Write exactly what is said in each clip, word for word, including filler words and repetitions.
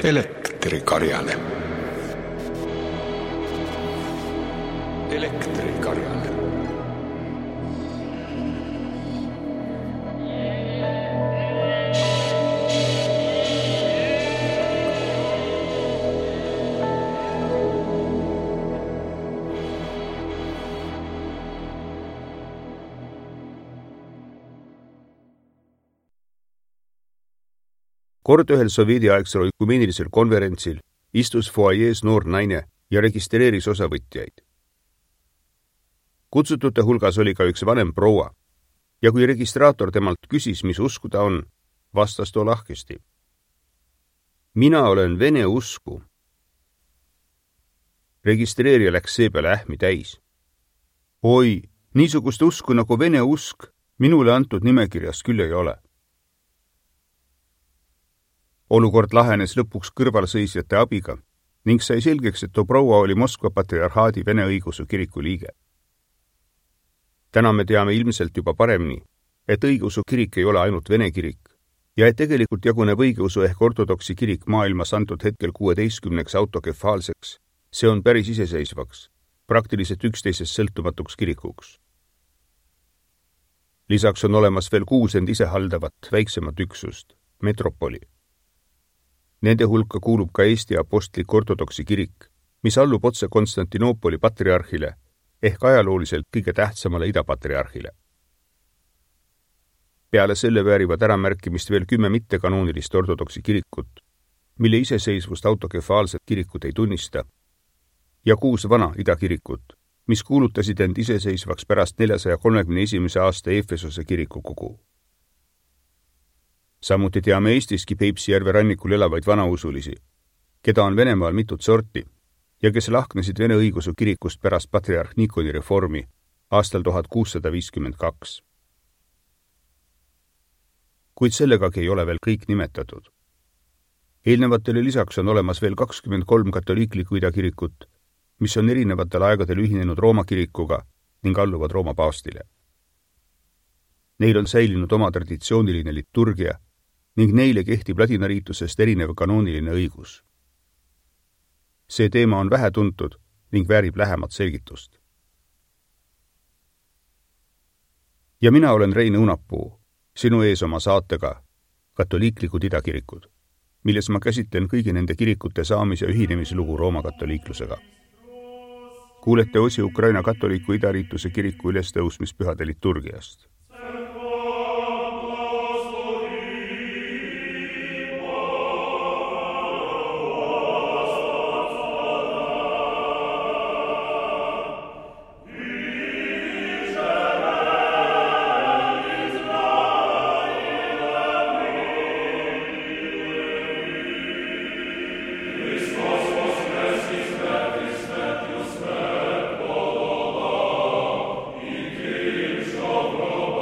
Elektrikarjane. Elektrikarjane. Kord ühel sovjetiaegsel oikumeenilisel konverentsil istus foajees noor naine ja registreeris osavõtjaid. Kutsutute hulgas oli ka üks vanem proua ja kui registraator temalt küsis, mis usku ta on, vastas too lahkesti. Mina olen vene usku. Registreerija läks seepeale ähmi täis. Oi, niisugust usku nagu vene usk minule antud nimekirjas küll ei ole. Olukord lahenes lõpuks kõrvalseisjate abiga ning sai selgeks, et too proua oli Moskva patriarhaadi Vene õigeusu kiriku liige. Täna me teame ilmselt juba paremini, et õigeusu kirik ei ole ainult Vene kirik ja et tegelikult jaguneb õigeusu ehk ortodoksi kirik maailmas antud hetkel kuueteistkümneks autokefaalseks, see on päris iseseisvaks, praktiliselt üksteisest sõltumatuks kirikuks. Lisaks on olemas veel kuus end ise haldavat väiksemat üksust, metropoli. Nende hulka kuulub ka Eesti apostlik ortodoksi kirik, mis allub otse Konstantinoopoli patriarhile ehk ajalooliselt kõige tähtsamale idapatriarhile. Peale selle väärivad äramärkimist veel kümme mittekanoonilist ortodoksi kirikut, mille iseseisvust autokefaalset kirikut ei tunnista, ja kuus vana idakirikut, mis kuulutasid end iseseisvaks pärast neljasaja kolmekümne esimese aasta Efesose kiriku kogu. Samuti teame Eestiski Peipsi järve rannikul elavaid vanausulisi, keda on Venemaal mitut sorti ja kes lahknesid Vene õigeusu kirikust pärast patriarh Nikoni reformi aastal tuhat kuussada viiskümmend kaks. Kuid sellegagi ei ole veel kõik nimetatud. Eelnevatele lisaks on olemas veel kakskümmend kolm katoliiklikku idakirikut, mis on erinevatel aegadel ühinenud Rooma kirikuga ning alluvad Rooma paavstile. Neil on säilinud oma traditsiooniline liturgia ning neile kehtib ladinariitusest erinev kanooniline õigus. See teema on vähe tuntud ning väärib lähemat selgitust. Ja mina olen Rein Õunapuu, sinu ees oma saatega Katoliiklikud idakirikud, milles ma käsitlen kõigi nende kirikute saamis- ja ühinemislugu Rooma katoliiklusega. Kuulete osi Ukraina katoliiku idariituse kiriku ülestõusmispühade liturgiast. Oh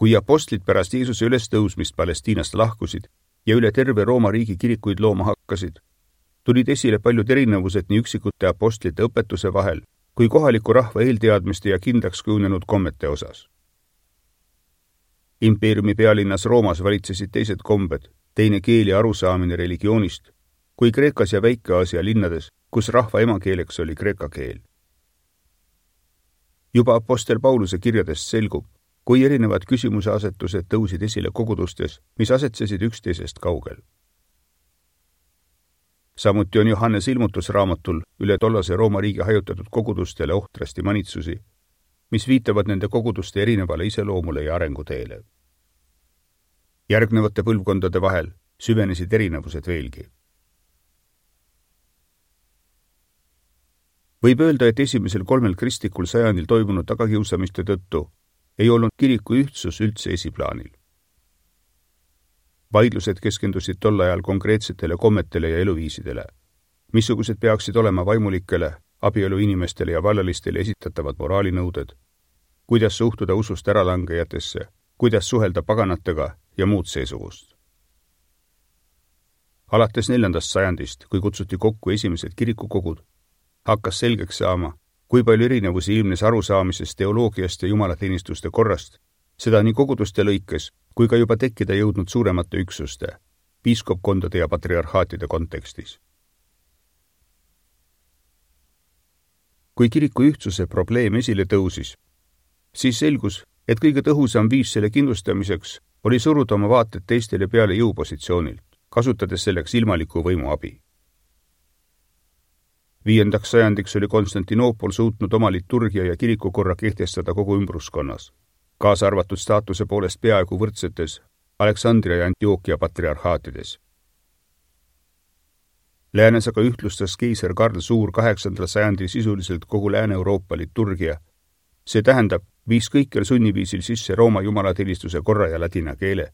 kui apostlid pärast Jeesuse ülestõusmist Palestiinast lahkusid ja üle terve Rooma riigi kirikuid looma hakkasid, tulid esile paljud erinevused nii üksikute apostlite õpetuse vahel kui kohaliku rahva eelteadmiste ja kindlaks kujunenud kommete osas. Impeeriumi pealinnas Roomas valitsesid teised kombed, teine keel ja arusaamine religioonist, kui Kreekas ja Väike-Aasia linnades, kus rahva emakeeleks oli kreeka keel. Juba apostel Pauluse kirjadest selgub, kui erinevad küsimuse asetused tõusid esile kogudustes, mis asetsesid üksteisest kaugel. Samuti on Johannes ilmutusraamatul üle tollase Rooma riigi hajutatud kogudustele ohtrasti manitsusi, mis viitavad nende koguduste erinevale iseloomule ja arenguteele. Järgnevate põlvkondade vahel süvenesid erinevused veelgi. Võib öelda, et esimesel kolmel kristlikul sajandil toimunud tagakiusamiste tõttu ei olnud kiriku ühtsus üldse esiplaanil. Vaidlused keskendusid tol ajal konkreetsetele kommetele ja eluviisidele, missugused peaksid olema vaimulikele, abielu inimestele ja vallalistele esitatavad moraalinõuded, kuidas suhtuda usust äralangejatesse, kuidas suhelda paganatega ja muud seesugust. Alates neljandast sajandist, kui kutsuti kokku esimesed kirikukogud, hakkas selgeks saama, kui palju erinevusi ilmnes arusaamisest teoloogiast ja jumalateenistuste korrast, seda nii koguduste lõikes, kui ka juba tekkida jõudnud suuremate üksuste, piiskopkondade ja patriarhaatide kontekstis. Kui kiriku ühtsuse probleem esile tõusis, siis selgus, et kõige tõhusam viis selle kindlustamiseks oli suruda oma vaated teistele peale jõupositsioonilt, kasutades selleks ilmaliku võimu abi. Viiendaks sajandiks oli Konstantinoopol suutnud oma liturgia ja kirikukorra kehtestada kogu ümbruskonnas, kaasa arvatud staatuse poolest peaaegu võrdsetes Aleksandria ja Antioquia patriarhaatides. Läänes aga ühtlustas keiser Karl Suur kaheksandal sajandil sisuliselt kogu Lääne-Euroopa liturgia, see tähendab, viis kõikjal sunniviisil sisse Rooma jumalateenistuse korra ja ladina keele.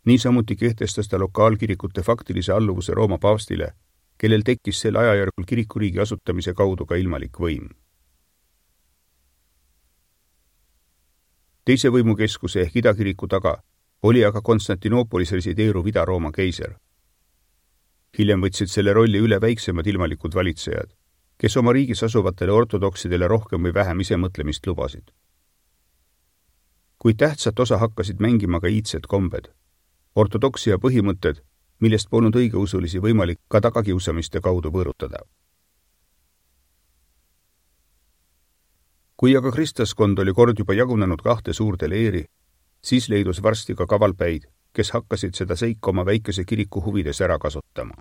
Niisamuti kehtestas ta lokaalkirikute faktilise alluvuse Rooma paavstile, kellel tekkis sel ajajärgul kirikuriigi asutamise kaudu ka ilmalik võim. Teise võimukeskuse ehk idakiriku taga oli aga Konstantinoopolis resideeruv Ida-Rooma keiser. Hiljem võtsid selle rolli üle väiksemad ilmalikud valitsejad, kes oma riigis asuvatele ortodoksidele rohkem või vähem isemõtlemist lubasid. Kuid tähtsat osa hakkasid mängima ka iidsed kombed, ortodoksia põhimõtted, millest polnud õigeusulisi võimalik ka tagakiusamiste kaudu võõrutada. Kui aga kristlaskond oli kord juba jagunenud kahte suurde leeri, siis leidus varsti ka kavalpäid, kes hakkasid seda seika oma väikese kiriku huvides ära kasutama.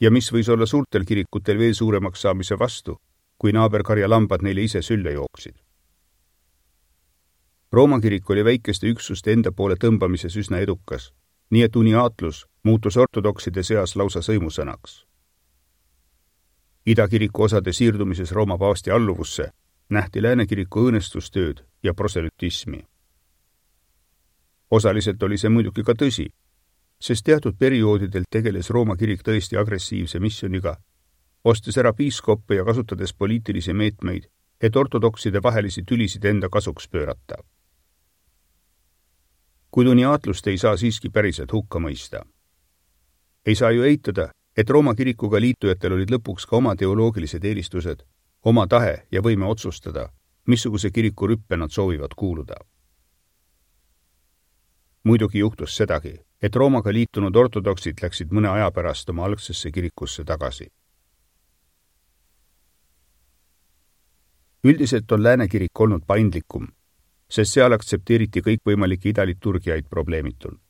Ja mis võis olla suurtel kirikutel veel suuremaks saamise vastu, kui naaberkarja lambad neile ise sülle jooksid. Rooma kirik oli väikeste üksuste enda poole tõmbamises üsna edukas, nii et uniaatlus muutus ortodokside seas lausa sõimusõnaks. Idakiriku osade siirdumises Rooma paavsti alluvusse nähti läänekiriku õõnestustööd ja proselütismi. Osaliselt oli see muidugi ka tõsi, sest teatud perioodidel tegeles Rooma kirik tõesti agressiivse missioniga, ostes ära piiskoppe ja kasutades poliitilisi meetmeid, et ortodokside vahelisi tülisid enda kasuks pöörata. Kuid uniaatlust ei saa siiski päriselt hukka mõista. Ei saa ju eitada, et Rooma kirikuga liitujatel olid lõpuks ka oma teoloogilised eelistused, oma tahe ja võime otsustada, missuguse kiriku rüppe nad soovivad kuuluda. Muidugi juhtus sedagi, et Roomaga liitunud ortodoksid läksid mõne aja pärast oma algsesse kirikusse tagasi. Üldiselt on läänekirik olnud paindlikum, sest seal aktsepteeriti kõikvõimalikke idaliturgiaid probleemitult.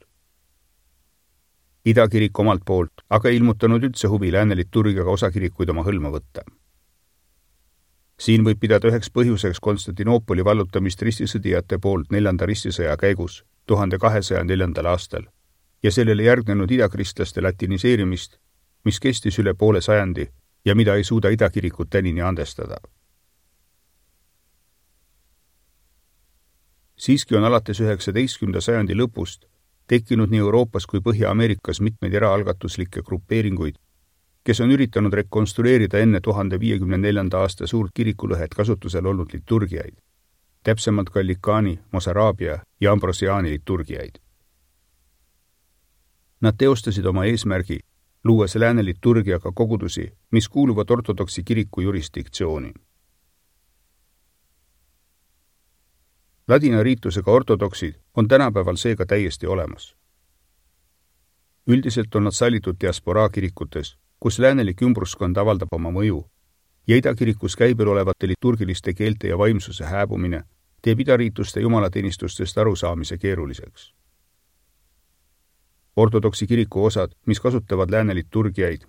Idakirik omalt poolt aga ilmutanud üldse huvi lääne liturgiaga osakirikuid oma hõlma võtta. Siin võib pidada üheks põhjuseks Konstantinoopoli vallutamist ristisõdijate poolt neljanda ristisõja käigus tuhande kahesaja neljandal aastal ja sellele järgnenud idakristlaste latiniseerimist, mis kestis üle poole sajandi ja mida ei suuda idakirikud tänini andestada. Siiski on alates üheksateistkümnenda sajandi lõpust tekkinud nii Euroopas kui Põhja-Ameerikas mitmeid eraalgatuslikke grupeeringuid, kes on üritanud rekonstrueerida enne tuhande viiekümne neljanda aasta suurt kirikulõhet kasutusel olnud liturgiaid, täpsemalt Gallicani, Mosaraabia ja Ambrosiani liturgiaid. Nad teostasid oma eesmärgi, luues lääne liturgiaga kogudusi, mis kuuluvad ortodoksi kiriku jurisdiktsiooni. Ladina riitusega ortodoksid on tänapäeval seega täiesti olemas. Üldiselt on nad sallitud diasporaa kirikutes, kus läänelik ümbruskond avaldab oma mõju, ja idakirikus käibel olevate liturgiliste keelte ja vaimsuse hääbumine teeb idariituste jumalateenistustest arusaamise keeruliseks. Ortodoksi kiriku osad, mis kasutavad lääne liturgiaid,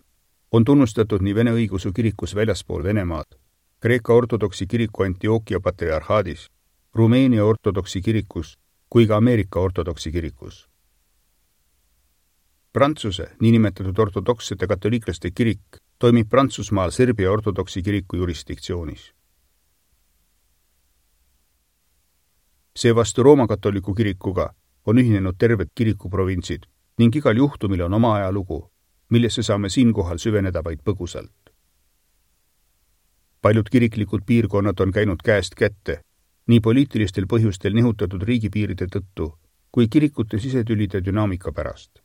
on tunnustatud nii Vene õigeusu kirikus väljaspool Venemaad, Kreeka ortodoksi kiriku Antioquia patriarhaadis, Rumeenia ortodoksi kirikus kui ka Ameerika ortodoksi kirikus. Prantsuse, niinimetatud ortodokssete katoliiklaste kirik, toimib Prantsusmaal Serbia ortodoksi kiriku jurisdiktsioonis. Seevastu Rooma katoliku kirikuga on ühinenud terved kirikuprovintsid ning igal juhtumil on oma ajalugu, millesse saame siinkohal süveneda vaid põgusalt. Paljud kiriklikud piirkonnad on käinud käest kätte, nii poliitilistel põhjustel nihutatud riigipiiride tõttu kui kirikute sisetülide dünaamika pärast.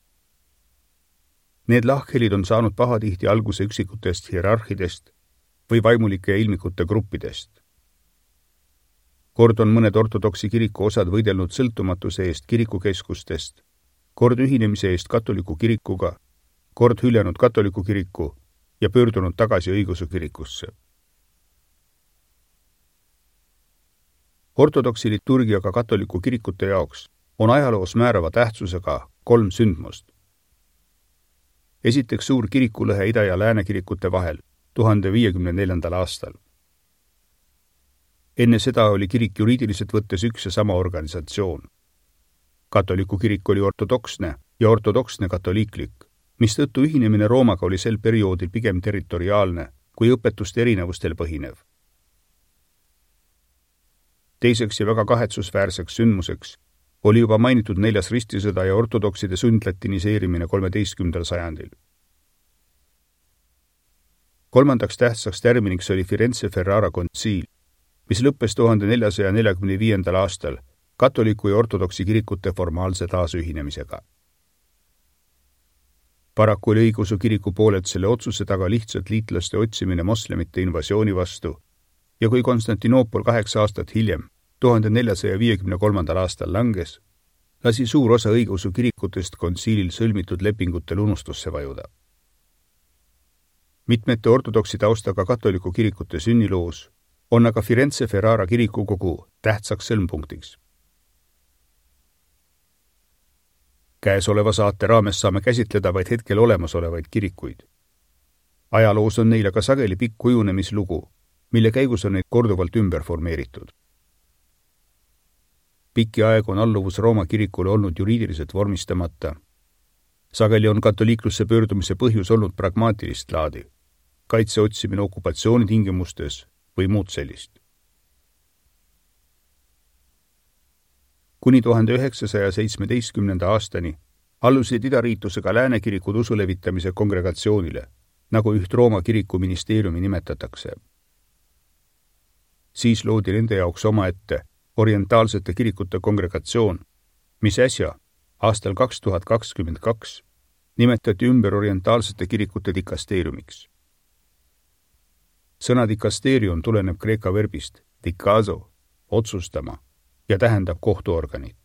Need lahkhelid on saanud pahatihti alguse üksikutest hierarhidest või vaimulike ja ilmikute gruppidest. Kord on mõned ortodoksi kiriku osad võidelnud sõltumatuse eest kirikukeskustest, kord ühinemise eest katoliku kirikuga, kord hüljanud katoliku kiriku ja pöördunud tagasi õigeusu kirikusse. Ortodoksi liturgiaga katoliku kirikute jaoks on ajaloos määrava tähtsusega kolm sündmust. Esiteks suur kirikulõhe ida- ja lääne kirikute vahel tuhande viiekümne neljandal aastal. Enne seda oli kirik juriidiliselt võttes üks ja sama organisatsioon. Katoliku kirik oli ortodoksne ja ortodoksne katoliiklik, mistõttu ühinemine Roomaga oli sel perioodil pigem territoriaalne kui õpetuste erinevustel põhinev. Teiseks ja väga kahetsusväärseks sündmuseks oli juba mainitud neljas ristisõda ja ortodokside sundlatiniseerimine kolmeteistkümnendal sajandil. Kolmandaks tähtsaks tärminiks oli Firenze Ferrara kontsiil, mis lõppes tuhande neljasaja neljakümne viiendal aastal katoliku ja ortodoksi kirikute formaalse taasühinemisega. Paraku oli õigeusu kiriku poolelt selle otsuse taga lihtsalt liitlaste otsimine moslemite invasiooni vastu ja kui Konstantinoopol kaheksa aastat hiljem, tuhande neljasaja viiekümne kolmandal aastal langes, lasi suur osa õigeusu kirikutest kontsiilil sõlmitud lepingutel unustusse vajuda. Mitmete ortodoksi taustaga katoliku kirikute sünniloos on aga Firenze Ferrara kirikukogu tähtsaks sõlmpunktiks. Käesoleva saate raames saame käsitleda vaid hetkel olemasolevaid kirikuid. Ajaloos on neile ka sageli pikk kujunemislugu, mille käigus on neid korduvalt ümber formeeritud. Pikki aeg on alluvus Rooma kirikule olnud juriidiliselt vormistamata. Sageli on katoliiklusse pöördumise põhjus olnud pragmaatilist laadi, kaitse otsimine okupatsiooni tingimustes või muud sellist. Kuni tuhande üheksasaja seitsmeteistkümnenda aastani allusid idariitusega lääne kirikud usu levitamise kongregatsioonile, nagu üht Rooma kiriku ministeeriumi nimetatakse. Siis loodi nende jaoks omaette orientaalsete kirikute kongregatsioon, mis äsja, aastal kaks tuhat kakskümmend kaks, nimetati ümber orientaalsete kirikute dikasteeriumiks. Sõna dikasteerium tuleneb kreeka verbist dikazo, otsustama, ja tähendab kohtuorganit.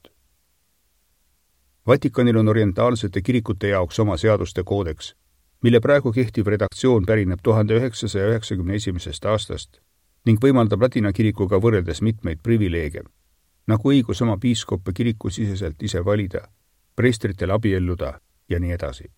Vatikanil on orientaalsete kirikute jaoks oma seaduste koodeks, mille praegu kehtiv redaktsioon pärineb tuhande üheksasaja üheksakümne esimesest aastast ning võimaldab ladina kirikuga võrreldes mitmeid privileege, nagu õigus oma piiskoppe kiriku siseselt ise valida, preestritel abielluda ja nii edasi.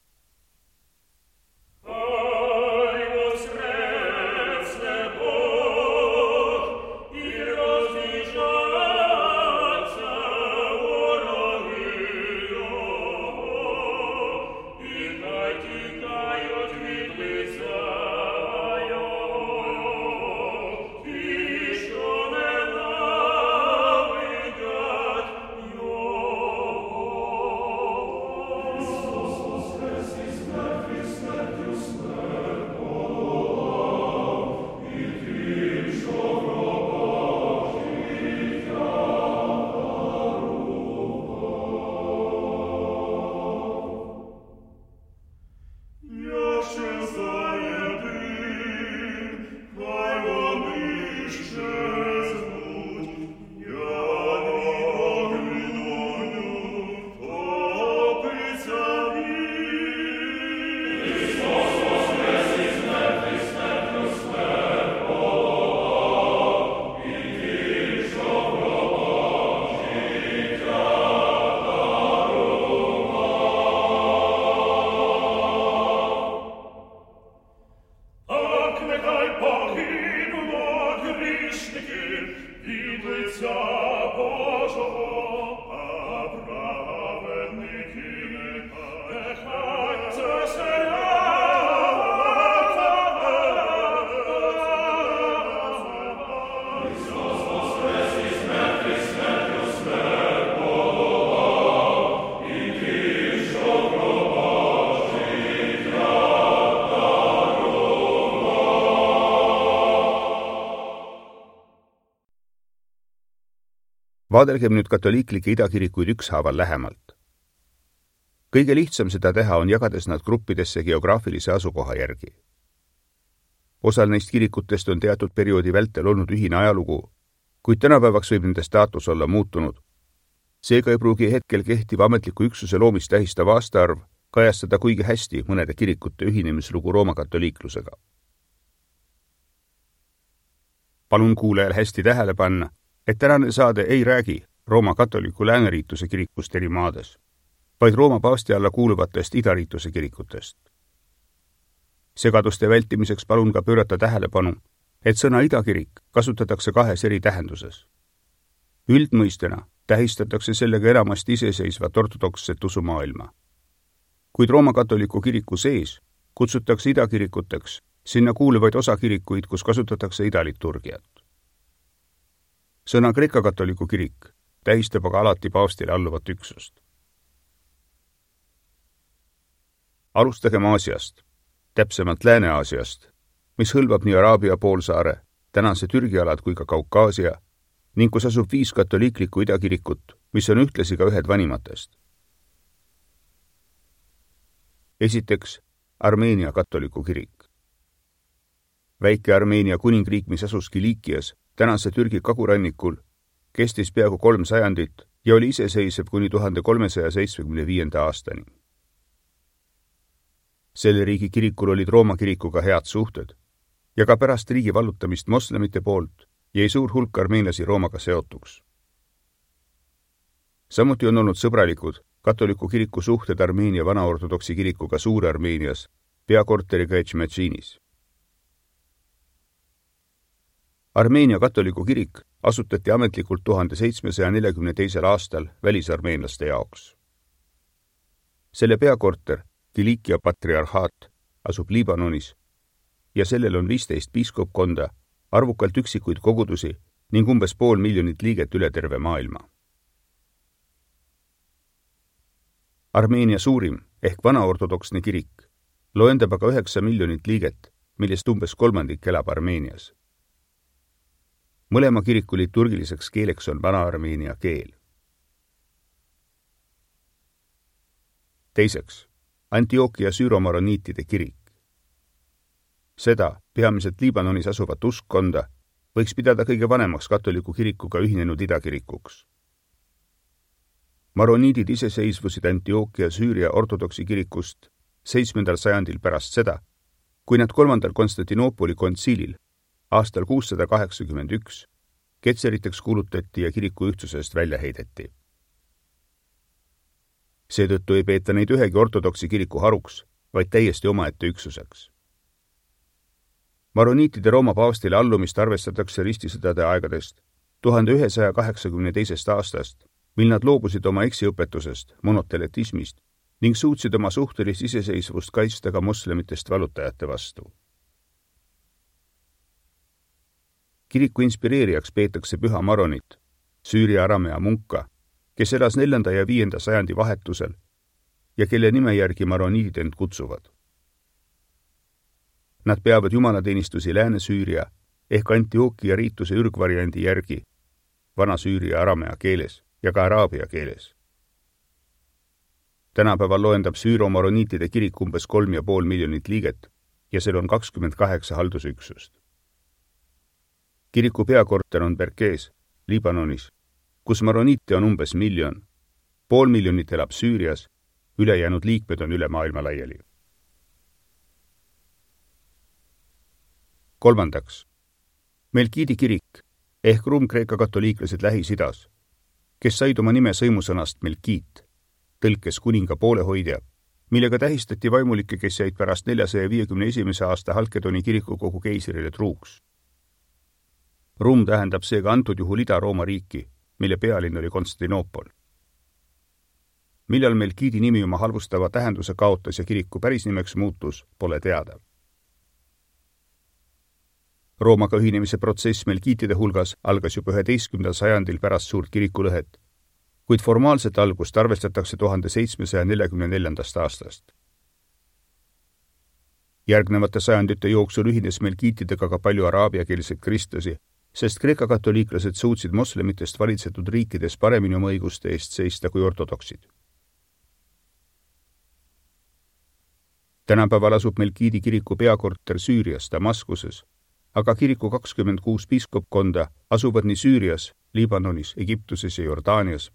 Vaadelgem nüüd katoliiklikke idakirikuid ükshaaval lähemalt. Kõige lihtsam seda teha on jagades nad gruppidesse geograafilise asukoha järgi. Osal neist kirikutest on teatud perioodi vältel olnud ühine ajalugu, kuid tänapäevaks võib nende staatus olla muutunud. Seega ei pruugi hetkel kehtiv ametliku üksuse loomist tähistav aastaarv kajastada kuigi hästi mõnede kirikute ühinemislugu Rooma katoliiklusega. Palun kuulajal hästi tähele panna, et tänane saade ei räägi Rooma katoliku lääneriituse kirikust eri maades, vaid Rooma paavsti alla kuuluvatest idariituse kirikutest. Segaduste vältimiseks palun ka pöörata tähelepanu, et sõna idakirik kasutatakse kahes eri tähenduses. Üldmõistena tähistatakse sellega enamasti iseseisvat ortodokset usumaailma. Kuid Rooma katoliku kiriku sees kutsutakse idakirikuteks sinna kuuluvaid osakirikuid, kus kasutatakse idaliturgiat. Sõna Kreeka katoliku kirik tähistab aga alati paavstile alluvat üksust. Alustagem Aasiast, täpsemalt Lääne-Aasiast, mis hõlmab nii Araabia poolsaare, tänase Türgi alad kui ka Kaukaasia, ning kus asub viis katoliiklikku idakirikut, mis on ühtlasi ka ühed vanimatest. Esiteks, Armeenia katoliku kirik. Väike Armeenia kuningriik, mis asus Kilikias, tänase Türgi kagurannikul, kestis peaaegu kolm sajandit ja oli iseseisev kuni tuhande kolmesaja seitsmekümne viienda aastani. Selle riigi kirikul olid Rooma kirikuga head suhted ja ka pärast riigi vallutamist moslemite poolt jäi suur hulk armeenlasi Roomaga seotuks. Samuti on olnud sõbralikud katoliku kiriku suhted Armeenia vanaortodoksi kirikuga Suur-Armeenias, peakorteriga Etšmetšiinis. Armeenia katoliku kirik asutati ametlikult tuhande seitsmesaja neljakümne teisel aastal välisarmeenlaste jaoks. Selle peakorter, Kilikia patriarhaat, asub Liibanonis ja sellel on viisteist piiskopkonda, arvukalt üksikuid kogudusi ning umbes pool miljonit liiget üle terve maailma. Armeenia suurim ehk vanaortodoksne kirik loendab aga üheksa miljonit liiget, millest umbes kolmandik elab Armeenias. Mõlema kiriku liturgiliseks keeleks on vana-armeenia keel. Teiseks, Antiokia süüromaroniitide kirik. Seda, peamiselt Liibanonis asuvat uskkonda, võiks pidada kõige vanemaks katoliku kirikuga ühinenud idakirikuks. Maroniidid iseseisvusid Antiokia Süüria ortodoksi kirikust seitsmendal sajandil pärast seda, kui nad kolmandal Konstantinoopoli kontsiilil aastal kuussada kaheksakümmend üks ketseriteks kuulutati ja kiriku ühtsusest välja heideti. Seetõttu ei peeta neid ühegi ortodoksi kiriku haruks, vaid täiesti omaette üksuseks. Maroniitide Rooma paavstile allumist arvestatakse ristisõdade aegadest tuhande ühesaja kaheksakümne teisest aastast, mil nad loobusid oma eksiõpetusest, monoteletismist ning suutsid oma suhtelist iseseisvust kaitsta ka moslemitest vallutajate vastu. Kiriku inspireerijaks peetakse püha Maronit, Süüria aramea munka, kes elas neljanda ja viienda sajandi vahetusel ja kelle nime järgi maroniidid end kutsuvad. Nad peavad jumalateenistusi Lääne-Süüria ehk Antiokia riituse ürgvariandi järgi, vana-Süüria aramea keeles ja ka araabia keeles. Tänapäeval loendab süüro-maroniitide kirik umbes kolm ja pool miljonit liiget ja seal on kakskümmend kaheksa haldusüksust. Kiriku peakorter on Berkees, Liibanonis, kus maroniite on umbes miljon, pool miljonit elab Süürias, ülejäänud liikmed on üle maailma laiali. Kolmandaks, Melkiidi kirik ehk ruumkreeka katoliiklased Lähis-Idas, kes said oma nime sõimusõnast Melkiit, tõlkes kuninga poolehoidja, millega tähistati vaimulikke, kes jäid pärast neljasaja viiekümne esimese aasta Halkedoni kirikukogu keisrile truuks. Ruum tähendab seega antud juhul Ida-Rooma riiki, mille pealinn oli Konstantinoopol. Millal Melkiidi nimi oma halvustava tähenduse kaotas ja kiriku pärisnimeks muutus, pole teada. Roomaga ühinemise protsess Melkiitide hulgas algas juba üheteistkümnendal sajandil pärast suurt kirikulõhet, kuid formaalset algust arvestatakse tuhande seitsmesaja neljakümne neljandast aastast. Järgnevate sajandite jooksul ühines Melkiitidega ka palju araabiakeelseid kristlasi, sest Kreeka katoliiklased suutsid moslemitest valitsetud riikides paremini oma õiguste eest seista kui ortodoksid. Tänapäeval asub Melkiidi kiriku peakorter Süürias, Damaskuses, aga kiriku kakskümmend kuus piiskopkonda asuvad nii Süürias, Liibanonis, Egiptuses ja Jordaanias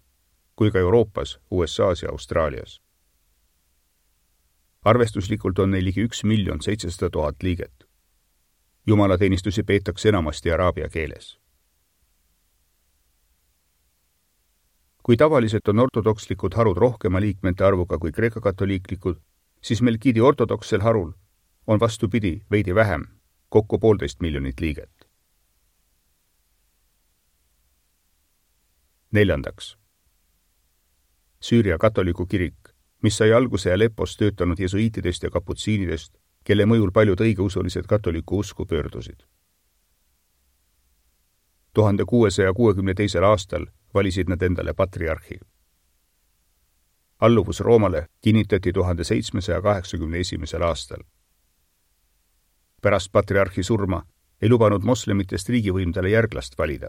kui ka Euroopas, U S A's ja Austraalias. Arvestuslikult on neil ligi üks miljon seitsesada tuhat liiget. Jumalateenistusi peetakse enamasti araabia keeles. Kui tavaliselt on ortodokslikud harud rohkema liikmete arvuga kui Kreeka katoliiklikud, siis Melkiidi ortodoksel harul on vastupidi veidi vähem, kokku poolteist miljonit liiget. Neljandaks. Süüria katoliku kirik, mis sai alguse Aleppos töötanud jesuiitidest ja kaputsiinidest, kelle mõjul paljud õigeusulised katoliku usku pöördusid. tuhande kuuesaja kuuekümne teisel aastal valisid nad endale patriarhi. Alluvus Roomale kinnitati tuhande seitsmesaja kaheksakümne esimesel aastal. Pärast patriarhi surma ei lubanud moslemitest riigivõimdale järglast valida.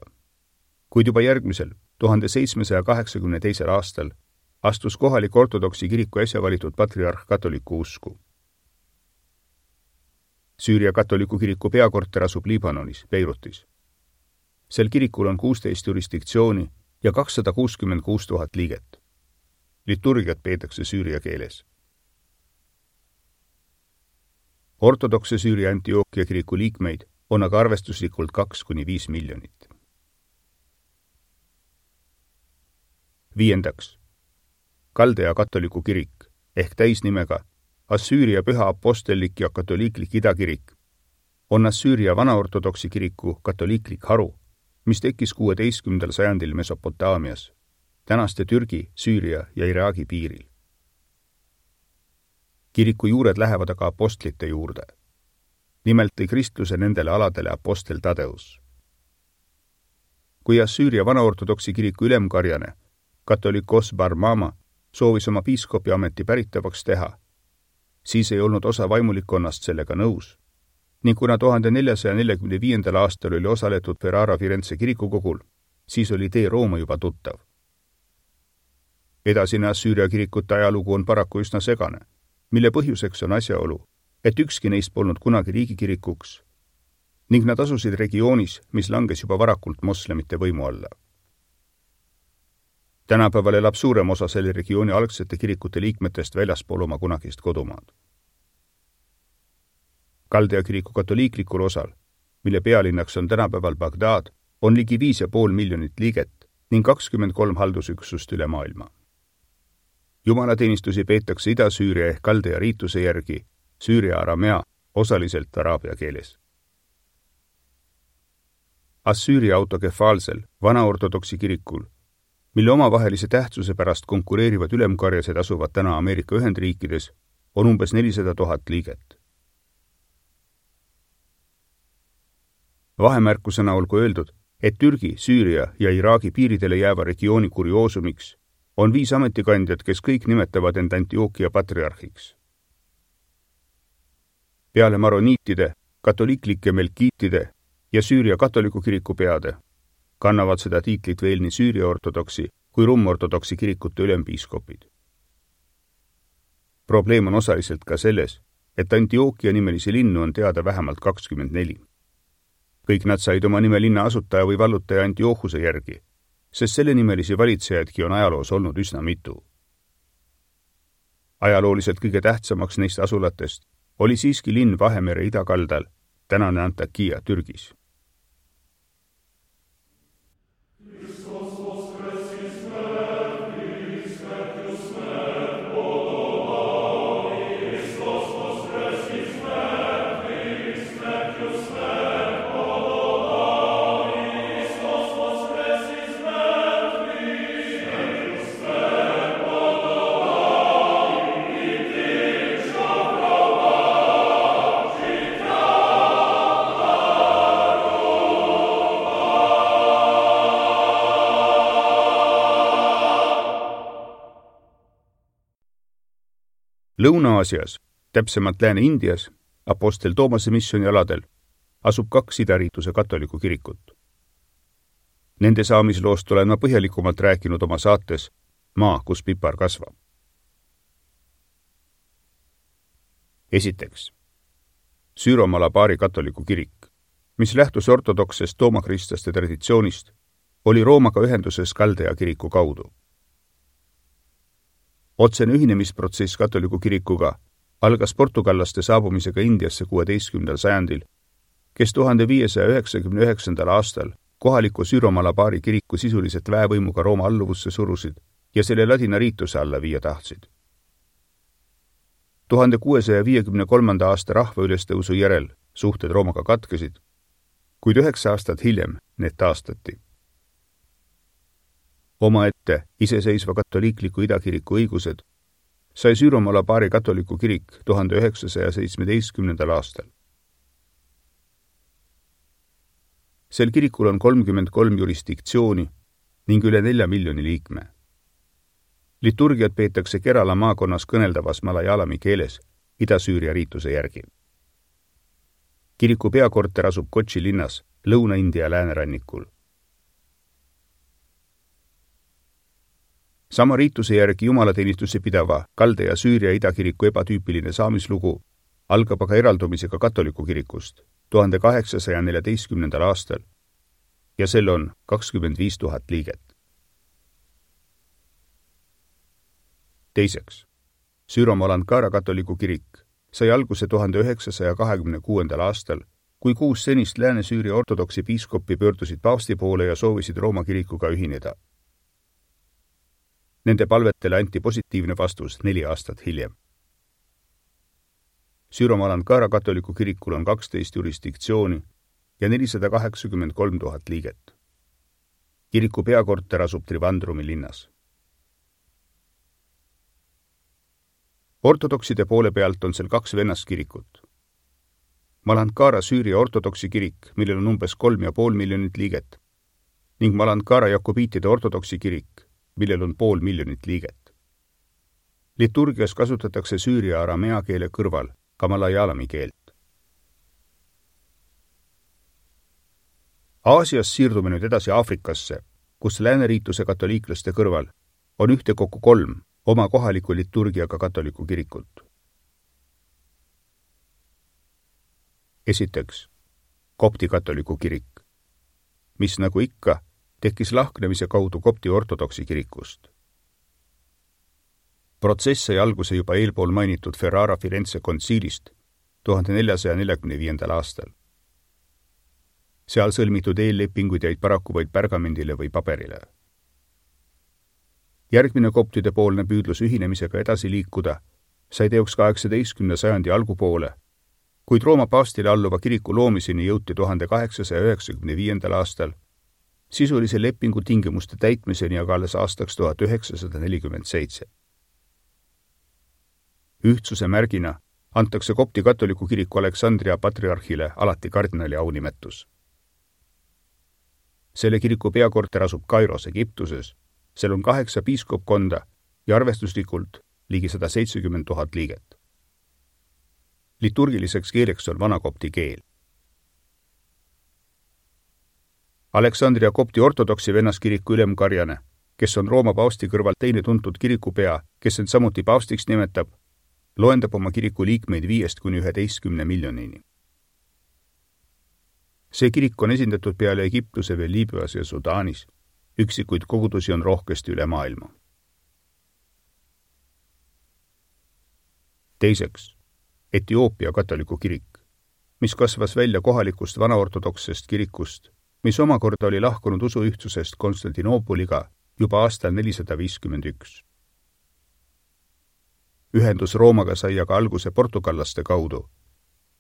Kuid juba järgmisel, tuhande seitsmesaja kaheksakümne teisel aastal astus kohalik ortodoksi kiriku äsja valitud patriarh katoliku usku. Süüria katoliku kiriku peakorter asub Liibanonis, Beirutis. Sel kirikul on kuusteist jurisdiktsiooni ja kakssada kuuskümmend kuus tuhat liiget. Liturgiat peetakse süüria keeles. Ortodokse Süüria Antiookia kiriku liikmeid on aga arvestuslikult kaks kuni viis miljonit. Viiendaks. Kaldea katoliku kirik ehk täisnimega Assüüria püha apostellik ja katoliiklik idakirik on Assüüria vanaortodoksi kiriku katoliiklik haru, mis tekkis kuueteistkümnendal sajandil Mesopotaamias, tänaste Türgi, Süüria ja Iraagi piiril. Kiriku juured lähevad aga apostlite juurde. Nimelt tõi kristluse nendele aladele apostel Tadeus. Kui Assüüria vanaortodoksi kiriku ülemkarjane, katolikos Barmama, soovis oma piiskopi ameti päritavaks teha, siis ei olnud osa vaimulikkonnast sellega nõus, ning kuna tuhande neljasaja neljakümne viiendal aastal oli osaletud Ferrara Firenze kirikukogul, siis oli tee Rooma juba tuttav. Edasine Assüüria kirikute ajalugu on paraku üsna segane, mille põhjuseks on asjaolu, et ükski neist polnud kunagi riigikirikuks ning nad asusid regioonis, mis langes juba varakult moslemite võimu alla. Tänapäeval elab suurem osa selle regiooni algsete kirikute liikmetest väljaspool oma kunagist kodumaad. Kaldea kiriku katoliiklikul osal, mille pealinnaks on tänapäeval Bagdad, on ligi viis ja pool miljonit liiget ning kakskümmend kolm haldusüksust üle maailma. Jumalateenistusi peetakse Ida-Süüria ehk Kaldea riituse järgi Süüria aramea, osaliselt araabia keeles. Assüüria autokefaalsel, vanaortodoksi kirikul, mille omavahelise tähtsuse pärast konkureerivad ülemkarjased asuvad täna Ameerika Ühendriikides, on umbes nelisada tuhat liiget. Vahemärkusena olgu öeldud, et Türgi, Süüria ja Iraagi piiridele jääva regiooni kurioosumiks on viis ametikandjat, kes kõik nimetavad end Antiookia patriarhiks. Peale maroniitide, katoliiklike melkiitide ja Süüria katoliku kiriku peade kannavad seda tiitlit veel nii Süüria ortodoksi kui rummortodoksi kirikute ülempiiskopid. Probleem on osaliselt ka selles, et Antiookia nimelisi linnu on teada vähemalt kakskümmend neli. Kõik nad said oma nime linna asutaja või vallutaja Antiochuse järgi, sest selle nimelisi valitsejadki on ajaloos olnud üsna mitu. Ajalooliselt kõige tähtsamaks neist asulatest oli siiski linn Vahemere idakaldal, tänane Antakya Türgis. Lõuna-Aasias, täpsemalt Lääne-Indias, apostel Toomase missioni aladel, asub kaks idariituse katoliku kirikut, Nende saamisloost olen ma põhjalikumalt rääkinud oma saates Maa, kus pipar kasvab. Esiteks, Süüro-Malabari katoliku kirik, mis lähtus ortodoksest toomakristlaste traditsioonist, oli Roomaga ühenduses Kaldea kiriku kaudu. Otsene ühinemisprotsess katoliku kirikuga algas portugallaste saabumisega Indiasse kuueteistkümnendal sajandil, kes tuhande viiesaja üheksakümne üheksandal aastal kohaliku Süüro-Malabari kiriku sisuliselt väevõimuga Rooma alluvusse surusid ja selle ladina riituse alla viia tahtsid. tuhande kuuesaja viiekümne kolmanda aasta rahvaülestõusu järel suhted Roomaga katkesid, kuid üheksa aastat hiljem need taastati. Omaette iseseisva katoliikliku idakiriku õigused sai Süüro-Malabari katoliku kirik tuhande üheksasaja seitsmeteistkümnendal aastal. Sel kirikul on kolmkümmend kolm jurisdiktsiooni ning üle nelja miljoni liikme. Liturgiat peetakse Kerala maakonnas kõneldavas malajalami keeles Ida-Süüria riituse järgi. Kiriku peakorter asub Kochi linnas Lõuna-India läänerannikul. Sama riituse järgi jumalateenistusse pidava Kaldea Süüria idakiriku ebatüüpiline saamislugu algab aga eraldumisega katoliku kirikust tuhande kaheksasaja neljateistkümnendal aastal ja sel on kakskümmend viis tuhat liiget. Teiseks, Süüro-Malankara katoliku kirik sai alguse tuhande üheksasaja kahekümne kuuendal aastal, kui kuus senist Lääne-Süüria ortodoksi piiskoppi pöördusid paavsti poole ja soovisid Rooma kirikuga ühineda. Nende palvetele anti positiivne vastus neli aastat hiljem. Süüro-Malankara katoliku kirikul on kaksteist jurisdiktsiooni ja nelisada kaheksakümmend kolm tuhat liiget. Kiriku peakorter asub Trivandrumi linnas. Ortodokside poole pealt on seal kaks vennaskirikut. Malankara Süüria ortodoksi kirik, millel on umbes kolm ja pool miljonit liiget, ning Malankara jakobiitide ortodoksi kirik, millel on pool miljonit liiget. Liturgias kasutatakse süüria aramea keele kõrval ka malajalami keelt. Aasias siirdume nüüd edasi Aafrikasse, kus lääneriituse katoliiklaste kõrval on ühtekokku kolm oma kohaliku liturgiaga katoliku kirikut. Esiteks, kopti katoliku kirik, mis nagu ikka tekkis lahknemise kaudu kopti ortodoksi kirikust. Protsess sai alguse juba eelpool mainitud Ferrara Firenze kontsiilist tuhande neljasaja neljakümne viiendal aastal. Seal sõlmitud eellepinguid jäid paraku vaid pergamendile või paberile. Järgmine koptide poolne püüdlus ühinemisega edasi liikuda sai teoks kaheksateistkümnenda sajandi algupoole, kuid Rooma paavstile alluva kiriku loomiseni jõuti tuhande kaheksasaja üheksakümne viiendal aastal, sisulise lepingu tingimuste täitmiseni aga alles aastaks tuhat üheksasada nelikümmend seitse. Ühtsuse märgina antakse kopti katoliku kiriku Aleksandria patriarhile alati kardinali aunimetus. Selle kiriku peakorter asub Kairos, Egiptuses. Seal on kaheksa piiskopkonda ja arvestuslikult ligi sada seitsekümmend tuhat liiget. Liturgiliseks keeleks on vanakopti keel. Aleksandria kopti ortodoksi vennaskiriku ülemkarjane, kes on Rooma paavsti kõrval teine tuntud kirikupea, kes end samuti paavstiks nimetab, loendab oma kiriku liikmeid viiest kuni üheteistkümne miljonini. See kirik on esindatud peale Egiptuse veel Liibüas ja Sudaanis. Üksikuid kogudusi on rohkesti üle maailma. Teiseks, Etioopia katoliku kirik, mis kasvas välja kohalikust vanaortodoksest kirikust, mis omakorda oli lahkunud usuühtsusest Konstantinoopoliga juba aastal nelisada viiskümmend üks. Ühendus Roomaga sai aga alguse portugallaste kaudu,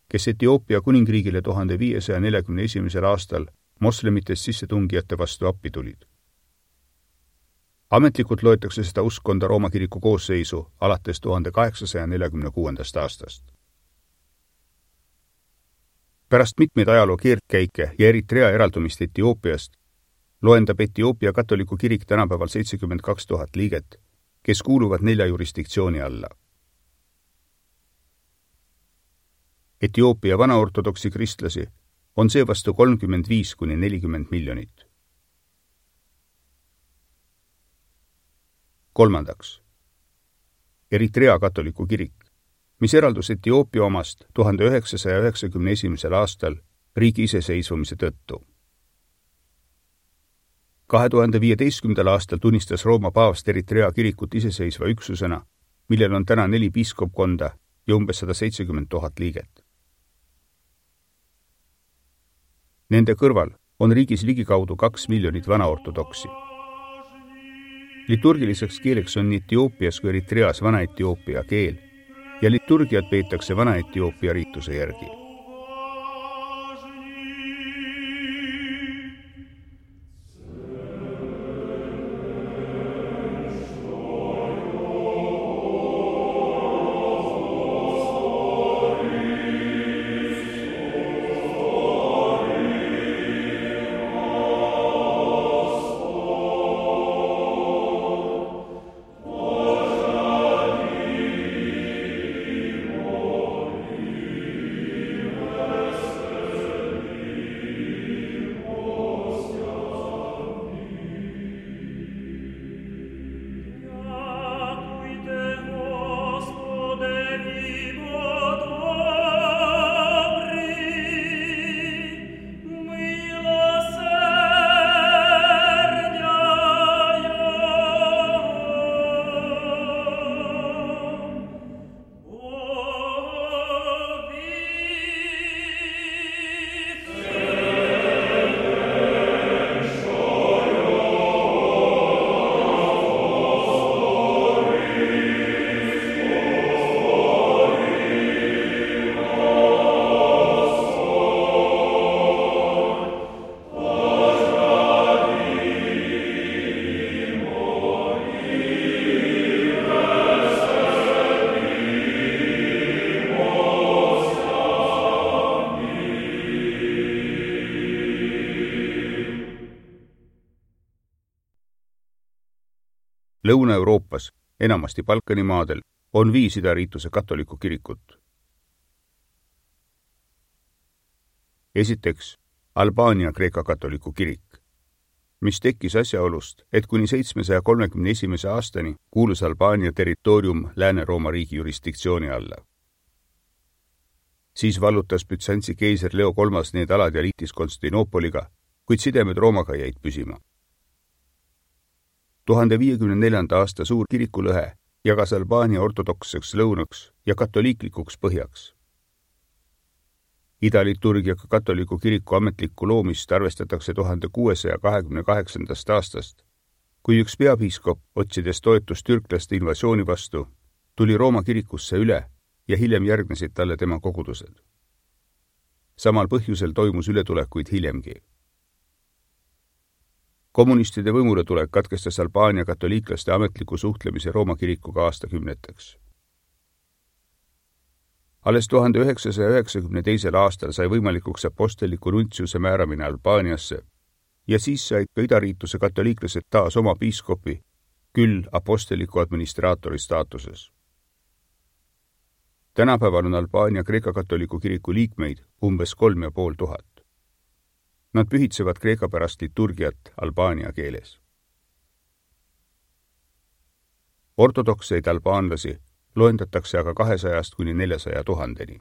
kes Etioopia kuningriigile tuhande viiesaja neljakümne esimesel aastal moslemitest sissetungijate vastu appi tulid. Ametlikult loetakse seda uskonda Rooma kiriku koosseisu alates tuhande kaheksasaja neljakümne kuuendast aastast. Pärast mitmeid ajaloo keerdkäike ja Eritrea eraldumist Etioopiast loendab Etioopia katoliku kirik tänapäeval seitsekümmend kaks tuhat liiget, kes kuuluvad nelja jurisdiktsiooni alla. Etioopia vanaortodoksi kristlasi on seevastu kolmkümmend viis kuni nelikümmend miljonit. kolmandaks, Eritrea katoliku kirik, mis eraldus Etioopia omast tuhande üheksasaja üheksakümne esimesel aastal riigi iseseisvumise tõttu. kahe tuhande viieteistkümnendal aastal tunnistas Rooma paavst Eritrea kirikut iseseisva üksusena, millel on täna neli piiskopkonda ja umbes sada seitsekümmend tuhat liiget. Nende kõrval on riigis ligikaudu kaks miljonit vanaortodoksi. Liturgiliseks keeleks on nii Etioopias kui Eritreas vana-etioopia keel ja liturgiat peetakse vana-etioopia riituse järgi. Lõuna-Euroopas, enamasti Balkani maadel, on viis idariituse katoliku kirikut. Esiteks, Albaania Kreeka katoliku kirik, mis tekkis asjaolust, et kuni seitsmesaja kolmekümne esimese aastani kuulus Albaania territoorium Lääne-Rooma riigi jurisdiktsiooni alla. Siis vallutas Bütsantsi keiser Leo kolmas need alad ja liitis Konstantinoopoliga, kuid sidemed Roomaga jäid püsima. tuhande viiekümne neljanda aasta suur kirikulõhe jagas Albaania ortodokseks lõunaks ja katoliiklikuks põhjaks. Idaliturgiaga katoliku kiriku ametlikku loomist arvestatakse tuhande kuuesaja kahekümne kaheksandast aastast, kui üks peapiiskop, otsides toetust türklaste invasiooni vastu, tuli Rooma kirikusse üle ja hiljem järgnesid talle tema kogudused. Samal põhjusel toimus ületulekuid hiljemgi. Kommunistide võimuletulek katkestas Albaania katoliiklaste ametliku suhtlemise Rooma kirikuga aastakümneteks. Alles tuhande üheksasaja üheksakümne teisel aastal sai võimalikuks aposteliku nuntsiuse määramine Albaaniasse ja siis said ka idariituse katoliiklased taas oma piiskopi, küll aposteliku administraatori staatuses. Tänapäeval on Albaania Kreeka katoliku kiriku liikmeid umbes kolm ja pool tuhat. Nad pühitsevad kreeka pärast liturgiat albaania keeles. Ortodokseid albaanlasi loendatakse aga kahesajast kuni neljasaja tuhandeni.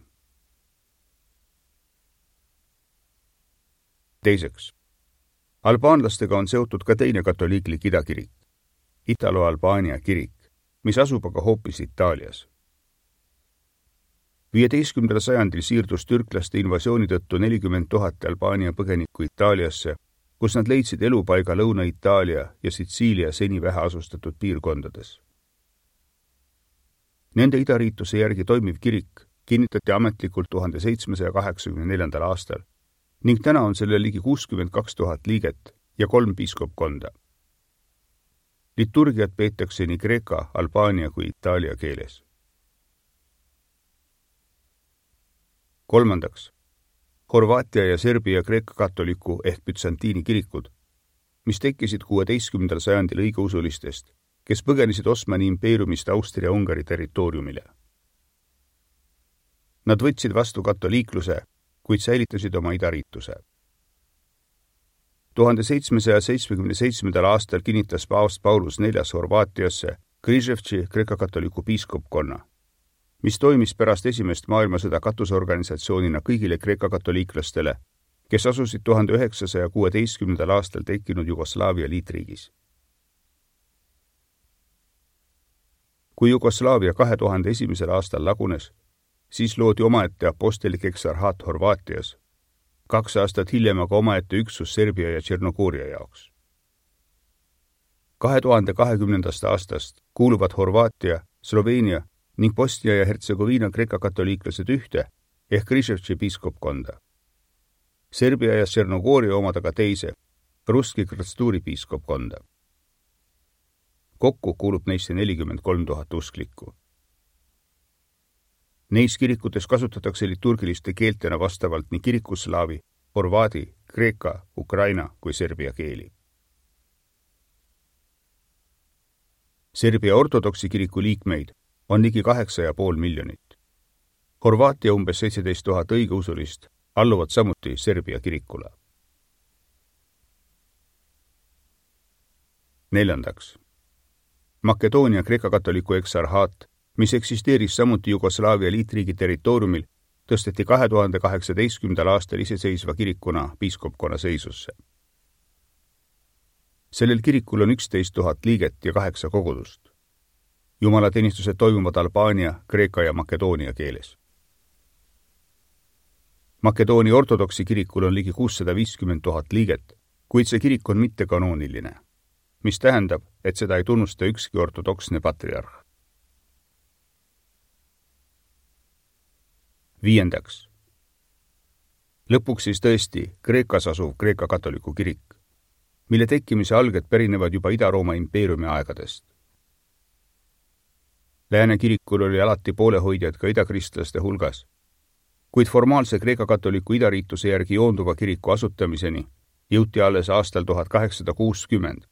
Teiseks, albaanlastega on seotud ka teine katoliiklik idakirik, Italo-Albaania kirik, mis asub aga hoopis Itaalias. viieteistkümnendal sajandil siirdus türklaste invasiooni tõttu nelikümmend tuhat Albaania põgenikku Itaaliasse, kus nad leidsid elupaiga Lõuna-Itaalia ja Sitsiilia seni väheasustatud piirkondades. Nende idariituse järgi toimiv kirik kinnitati ametlikult tuhande seitsmesaja kaheksakümne neljandal aastal ning täna on selle ligi kuuskümmend kaks tuhat liiget ja kolm piiskopkonda. Liturgiat peetakse nii kreeka, albaania kui itaalia keeles. Kolmandaks, Horvaatia ja Serbia kreeka katoliku ehk Bütsantiini kirikud, mis tekkisid kuueteistkümnendal sajandil õigeusulistest, kes põgenesid Osmani impeeriumist Austria-Ungari territooriumile. Nad võtsid vastu katoliikluse, kuid säilitasid oma idariituse. tuhande seitsmesaja seitsmekümne seitsmendal aastal kinnitas paavst Paulus neljas Horvaatiasse Križevci kreeka-katoliku piiskopkonna, mis toimis pärast esimest maailmasõda katusorganisatsioonina kõigile kreeka-katoliiklastele, kes asusid tuhande üheksasaja kuueteistkümnendal aastal tekkinud Jugoslaavia liitriigis. Kui Jugoslaavia kahe tuhande esimesel aastal lagunes, siis loodi omaette apostelik eksarhaat Horvaatias, kaks aastat hiljem aga omaette üksus Serbia ja Tšernogooria jaoks. kahe tuhande kahekümnendast aastast kuuluvad Horvaatia, Sloveenia ning Bosnia ja Hertsegoviina kreeka-katoliiklased ühte ehk Križevci piiskopkonda. Serbia ja Tšernogooria omad aga teise, Ruski Krõstuuri piiskopkonda. Kokku kuulub neisse nelikümmend kolm tuhat usklikku. Neis kirikutes kasutatakse liturgiliste keeltena vastavalt nii kirikuslaavi, horvaadi, kreeka, ukraina kui serbia keeli. Serbia ortodoksi kiriku liikmeid on ligi kaheksa ja pool miljonit. Horvaatia umbes seitseteist tuhat õigeusulist alluvad samuti Serbia kirikule. Neljandaks. Makedoonia kreeka-katoliku eksarhaat, mis eksisteeris samuti Jugoslaavia liitriigi territooriumil, tõsteti kahe tuhande kaheksateistkümnendal aastal iseseisva kirikuna piiskopkonna seisusse. Sellel kirikul on üksteist tuhat liiget ja kaheksa kogudust. Jumalateenistused toimuvad Albaania, Kreeka ja Makedoonia keeles. Makedoonia ortodoksi kirikul on ligi kuussada viiskümmend tuhat liiget, kuid see kirik on mittekanooniline, mis tähendab, et seda ei tunnusta ükski ortodoksne patriarh. Viiendaks. Lõpuks siis tõesti Kreekas asuv kreeka-katoliku kirik, mille tekkimise alged pärinevad juba Ida-Rooma impeeriumi aegadest. Lääne kirikul oli alati poolehoidjad ka idakristlaste hulgas, kuid formaalse kreeka-katoliku idariituse järgi joonduva kiriku asutamiseni jõuti alles aastal tuhat kaheksasada kuuskümmend,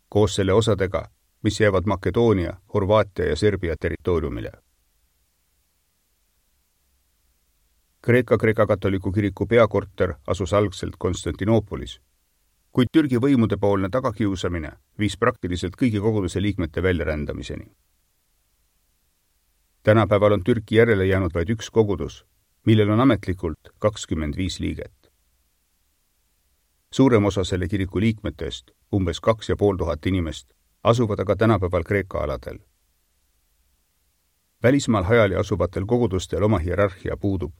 koos selle osadega, mis jäävad Makedoonia, Horvaatia ja Serbia territooriumile. Kreeka kreeka-katoliku kiriku peakorter asus algselt Konstantinoopolis, kuid Türgi võimude poolne tagakiusamine viis praktiliselt kõigi koguduse liikmete väljarändamiseni. Tänapäeval on Türki järele jäänud vaid üks kogudus, millel on ametlikult kakskümmend viis liiget. Suurem osa selle kiriku liikmetest, umbes kaks ja pool tuhat inimest, asuvad aga tänapäeval Kreeka aladel. Välismaal hajali asuvatel kogudustel oma hierarhia puudub.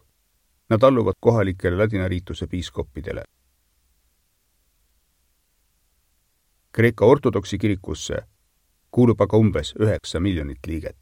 Nad alluvad kohalikele ladinariituse piiskoppidele. Kreeka ortodoksi kirikusse kuulub aga umbes üheksa miljonit liiget.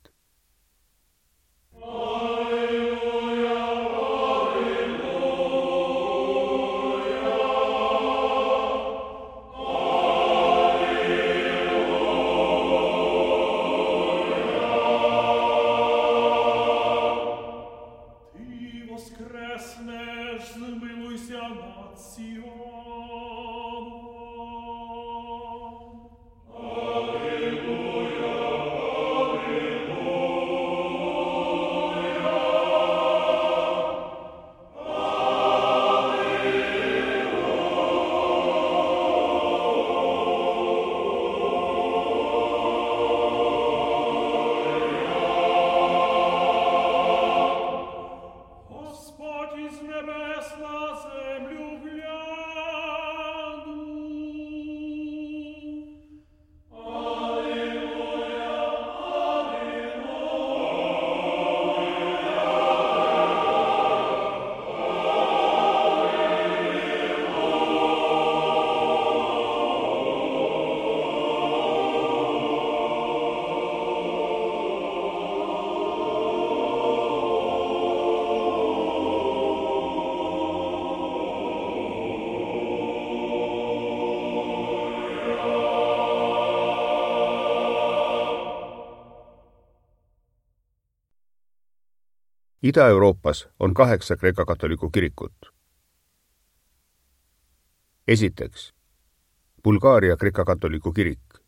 Ida-Euroopas on kaheksa kreeka-katoliku kirikut. Esiteks, Bulgaaria kreeka-katoliku kirik,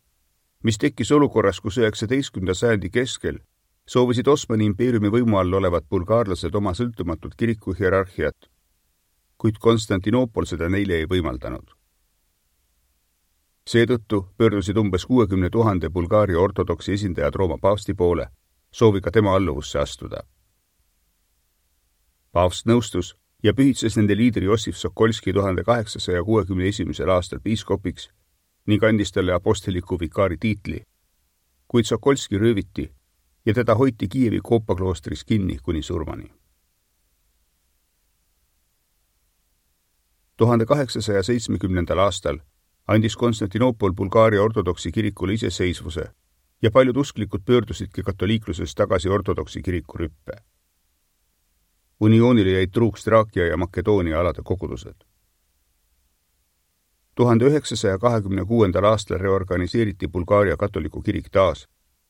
mis tekkis olukorras, kus üheksateistkümnenda sajandi keskel soovisid Osmani impeeriumi võimu all olevad bulgaarlased oma sõltumatut kiriku hierarhiat, kuid Konstantinoopol seda neile ei võimaldanud. Seetõttu pöördusid umbes kuuekümne tuhande Bulgaaria ortodoksi esindajad Rooma paavsti poole, sooviga tema alluvusse astuda. Paavst nõustus ja pühitses nende liidri Jossif Sokolski tuhande kaheksasaja kuuekümne esimesel aastal piiskopiks ning andis talle apostliku vikaari tiitli, kuid Sokolski rööviti ja teda hoiti Kiievi Koopa kloostris kinni kuni surmani. tuhande kaheksasaja seitsmekümnendal aastal andis Konstantinoopol Bulgaaria ortodoksi kirikule iseseisvuse ja paljud usklikud pöördusidki katoliiklusest tagasi ortodoksi kiriku rüppe. Unioonile jäid truuks Traakia ja Makedoonia alade kogudused. tuhande üheksasaja kahekümne kuuendal aastal reorganiseeriti Bulgaaria katoliku kirik taas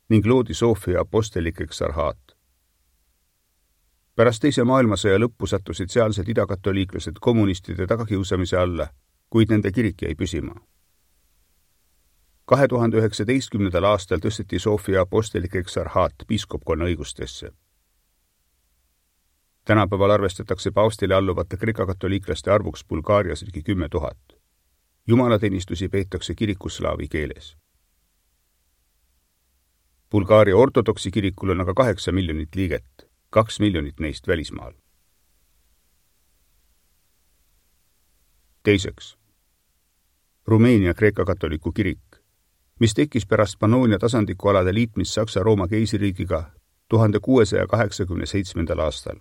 ning loodi Sofia apostellik eksarhaat. Pärast teise maailmasõja lõppu sattusid sealsed idakatoliiklased kommunistide tagakiusamise alla, kuid nende kirik jäi püsima. kahe tuhande üheksateistkümnendal aastal tõsteti Sofia apostellik eksarhaat piiskopkonna õigustesse. Tänapäeval arvestatakse paavstile alluvate kreeka-katoliiklaste arvuks Bulgaarias ligi kümme tuhat. Jumalateenistusi peetakse kirikus slaavi keeles. Bulgaaria ortodoksi kirikul on aga kaheksa miljonit liiget, kaks miljonit neist välismaal. Teiseks, Rumeenia kreeka-katoliku kirik, mis tekkis pärast Pannoonia tasandikualade liitmist Saksa-Rooma keisririigiga tuhande kuuesaja kaheksakümne seitsmendal aastal.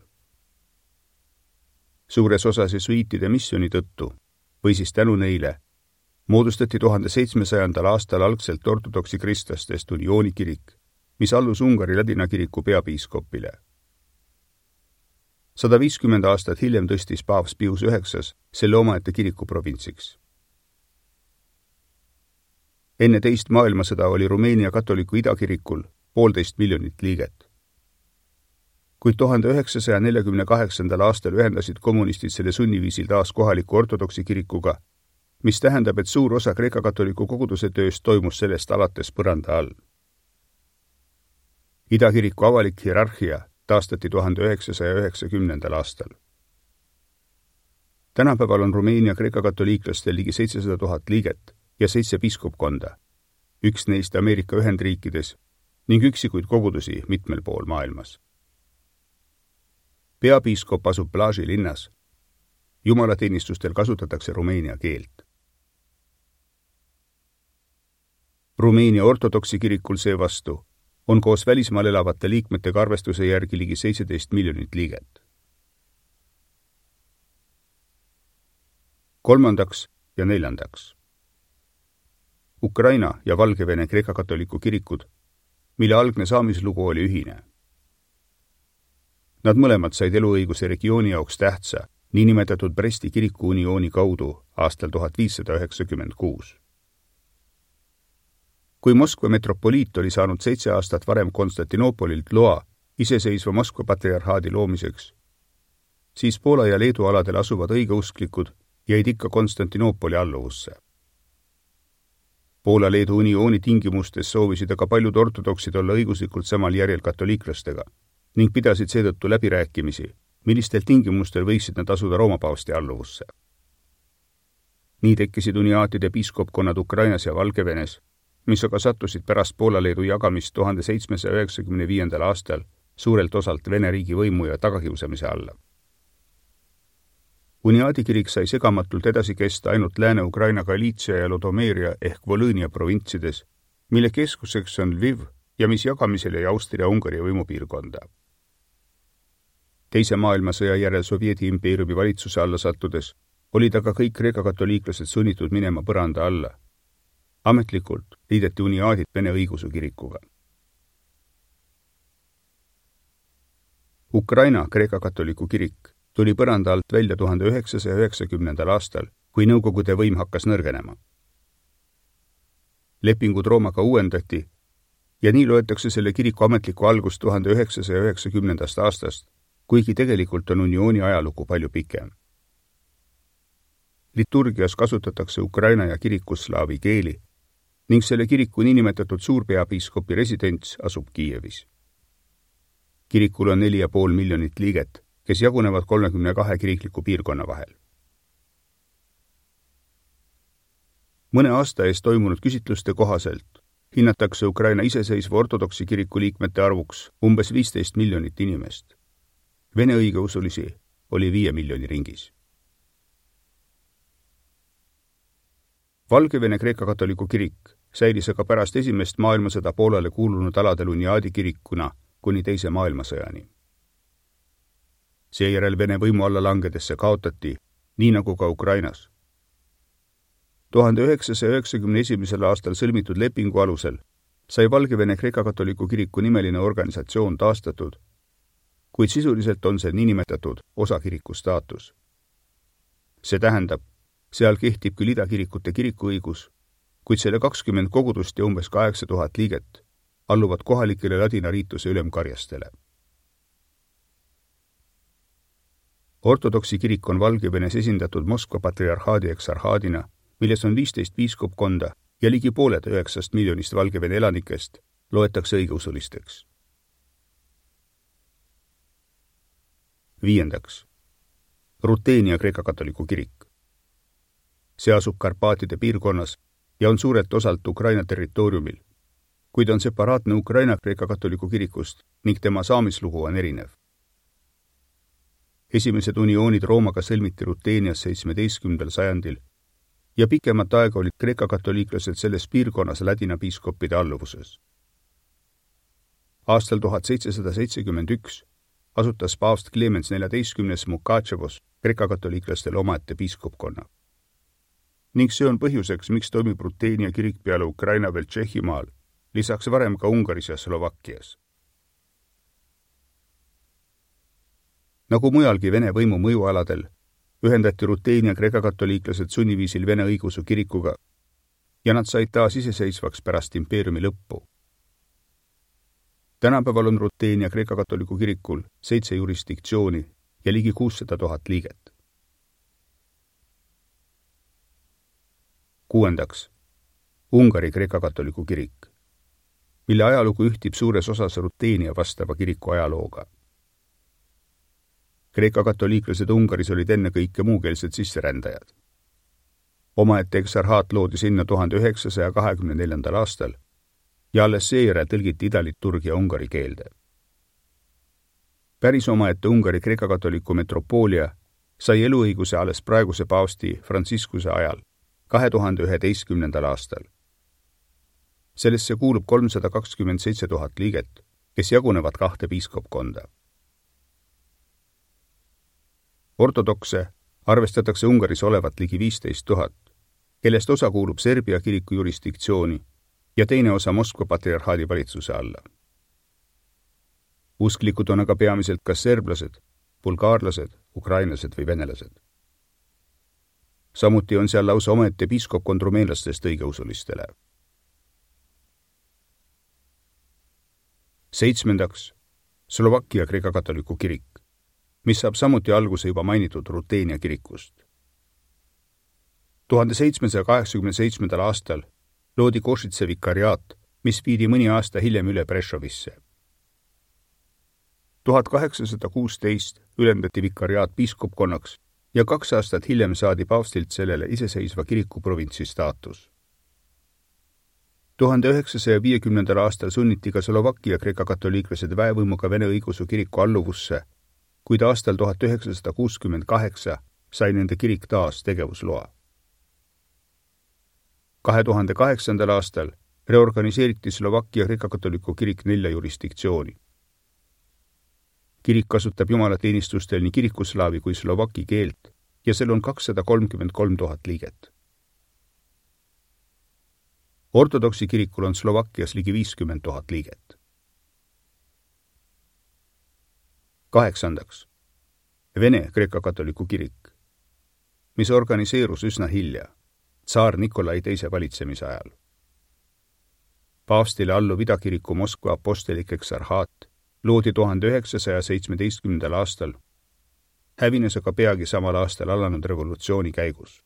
Suures osas jesuiitide missiooni tõttu või siis tänu neile moodustati tuhande seitsmesajandal aastal algselt ortodoksi kristlastest uniooni kirik, mis allus Ungari ladina kiriku peapiiskopile. sada viiskümmend aastat hiljem tõstis paavst Pius üheksas selle omaette kiriku provintsiks. Enne teist maailmasõda oli Rumeenia katoliku idakirikul poolteist miljonit liiget. Kuid tuhande üheksasaja neljakümne kaheksandal aastal ühendasid kommunistid selle sunniviisil taas kohaliku ortodoksi kirikuga, mis tähendab, et suur osa kreeka-katoliku koguduse tööst toimus sellest alates põranda all. Idakiriku avalik hierarhia taastati tuhande üheksasaja üheksakümnendal aastal. Tänapäeval on Rumeenia kreeka-katoliiklastel ligi seitsesada tuhat liiget ja seitse piiskopkonda, üks neist Ameerika Ühendriikides ning üksikuid kogudusi mitmel pool maailmas. Peapiiskop asub Plaži linnas. Jumalateenistustel kasutatakse rumeenia keelt. Rumeenia ortodoksi kirikul seevastu on koos välismaal elavate liikmetega arvestuse järgi ligi seitseteist miljonit liiget. Kolmandaks ja neljandaks. Ukraina ja Valgevene kreeka-katoliku kirikud, mille algne saamislugu oli ühine. Nad mõlemad said eluõiguse regiooni jaoks tähtsa, niinimetatud Bresti kiriku uniooni kaudu aastal tuhat viissada üheksakümmend kuus. Kui Moskva metropoliit oli saanud seitse aastat varem Konstantinoopolilt loa iseseisva Moskva patriarhaadi loomiseks, siis Poola ja Leedu aladel asuvad õigeusklikud jäid ikka Konstantinoopoli alluvusse. Poola-Leedu uniooni tingimustes soovisid aga paljud ortodoksid olla õiguslikult samal järjel katoliiklastega ning pidasid seetõttu läbirääkimisi, millistel tingimustel võiksid nad asuda Rooma paavsti alluvusse. Nii tekkisid uniaatide piiskopkonnad Ukrainas ja Valgevenes, mis aga sattusid pärast Poola-Leedu jagamist tuhande seitsmesaja üheksakümne viiendal aastal suurelt osalt Vene riigi võimu ja tagakiusamise alla. Uniaadikirik sai segamatult edasi kesta ainult Lääne-Ukraina Galiitsia ja Lodomeeria ehk Volõnia provintsides, mille keskuseks on Lviv ja mis jagamisel jäi Austria-Ungari võimupiirkonda. Teise maailmasõja järel Sovjeti impeeriumi valitsuse alla sattudes olid aga kõik kreeka-katoliiklased sunnitud minema põranda alla. Ametlikult liideti uniaadid Vene õigeusu kirikuga. Ukraina kreeka-katoliku kirik tuli põranda alt välja tuhande üheksasaja üheksakümnendal aastal, kui nõukogude võim hakkas nõrgenema. Lepingud Roomaga uuendati ja nii loetakse selle kiriku ametliku algust tuhande üheksasaja üheksakümnendast aastast, kuigi tegelikult on uniooni ajalugu palju pikem. Liturgias kasutatakse Ukraina ja kirikuslaavi keeli ning selle kiriku niinimetatud suurpeapiiskopi residents asub Kiievis. Kirikul on neli ja pool miljonit liiget, kes jagunevad kolmekümne kahe kirikliku piirkonna vahel. mõne aasta eest toimunud küsitluste kohaselt hinnatakse Ukraina iseseisva ortodoksi kiriku liikmete arvuks umbes viisteist miljonit inimest. Vene õigeusulisi oli viie miljoni ringis. Valgevene Kreeka-katoliku kirik säilis aga pärast esimest maailmasõda Poolale kuulunud aladel uniaadi kirikuna kuni teise maailmasõjani. Seejärel Vene võimu alla langedes see kaotati, nii nagu ka Ukrainas. tuhande üheksasaja üheksakümne esimesel aastal sõlmitud lepingu alusel sai Valgevene Kreeka-katoliku kiriku nimeline organisatsioon taastatud, kuid sisuliselt on see niinimetatud osakiriku staatus. See tähendab, seal kehtib küll idakirikute kirikuõigus, kuid selle kakskümmend kogudust ja umbes kaheksa tuhat liiget alluvad kohalikele ladina riituse ülemkarjastele. Ortodoksi kirik on Valgevenes esindatud Moskva patriarhaadi eksarhaadina, milles on viisteist piiskopkonda ja ligi pooled üheksast miljonist Valgevene elanikest loetakse õigeusulisteks. Viiendaks. Ruteenia Kreeka-katoliku kirik. See asub Karpaatide piirkonnas ja on suurelt osalt Ukraina territooriumil, kuid on separaatne Ukraina Kreeka-katoliku kirikust ning tema saamislugu on erinev. Esimesed unioonid Roomaga sõlmiti Ruteenias seitsmeteistkümnendal sajandil ja pikemat aega olid kreeka-katoliiklased selles piirkonnas ladina piiskoppide alluvuses. Aastal tuhat seitsesada seitsekümmend üks asutas paavst Clemens neljateistkümnes Mukatševos kreeka-katoliiklastele omaette piiskopkonna. Ning see on põhjuseks, miks toimib Ruteenia kirik peale Ukraina veel Tšehhimaal, lisaks varem ka Ungaris ja Slovakkias. Nagu mujalgi Vene võimu mõjualadel, ühendati Ruteenia kreeka-katoliiklased sunniviisil Vene õigeusu kirikuga ja nad said taas iseseisvaks pärast impeeriumi lõppu. Tänapäeval on Ruteenia kreeka-katoliku kirikul seitse jurisdiktsiooni ja ligi kuussada tuhat liiget. Kuuendaks. Ungari kreeka-katoliku kirik, mille ajalugu ühtib suures osas Ruteenia vastava kiriku ajalooga. Kreeka-katoliiklased Ungaris olid enne kõike muukeelsed sisserändajad. Omaette eksarhaat loodi sinna tuhande üheksasaja kahekümne neljandal aastal ja alles seejärel tõlgiti idaliturgia ungari keelde. Päris omaette Ungari kreeka-katoliku metropoolia sai eluõiguse alles praeguse paavsti Franciscuse ajal, kahe tuhande üheteistkümnendal aastal. Sellesse kuulub kolmsada kakskümmend seitse tuhat liiget, kes jagunevad kahte piiskopkonda. Ortodokse arvestatakse Ungaris olevat ligi viisteist tuhat, kellest osa kuulub Serbia kiriku jurisdiktsiooni ja teine osa Moskva patriarhaadi valitsuse alla. Usklikud on aga peamiselt kas serblased, bulgaarlased, ukrainlased või venelased. Samuti on seal lausa omaette piiskopkond rumeenlastest õigeusulistele. Seitsmendaks. Slovakkia kreeka-katoliku kirik, mis saab samuti alguse juba mainitud Ruteenia kirikust. tuhande seitsmesaja kaheksakümne seitsmendal aastal loodi Košice vikariaat, mis viidi mõni aasta hiljem üle Prešovisse. tuhat kaheksasada kuusteist ülendati vikariaat piiskopkonnaks ja kaks aastat hiljem saadi paavstilt sellele iseseisva kirikuprovintsi staatus. tuhande üheksasaja viiekümnendal aastal sunniti ka Slovakkia kreeka-katoliiklased väevõimuga Vene õigeusu kiriku alluvusse, kuid aastal tuhat üheksasada kuuskümmend kaheksa sai nende kirik taas tegevusloa. kahe tuhande kaheksandal aastal reorganiseeriti Slovakkia kreeka-katoliku kirik nelja jurisdiktsiooni. Kirik kasutab jumalateenistustel nii kirikuslaavi kui slovaki keelt ja seal on kakssada kolmkümmend kolm tuhat liiget. Ortodoksi kirikul on Slovakkias ligi viiskümmend tuhat liiget. Kaheksandaks. Vene kreeka-katoliku kirik, mis organiseerus üsna hilja, tsaar Nikolai teise valitsemise ajal. Paavstile alluv idakiriku Moskva apostelik eksarhaat loodi tuhande üheksasaja seitsmeteistkümnendal aastal, hävines aga peagi samal aastal alanud revolutsiooni käigus.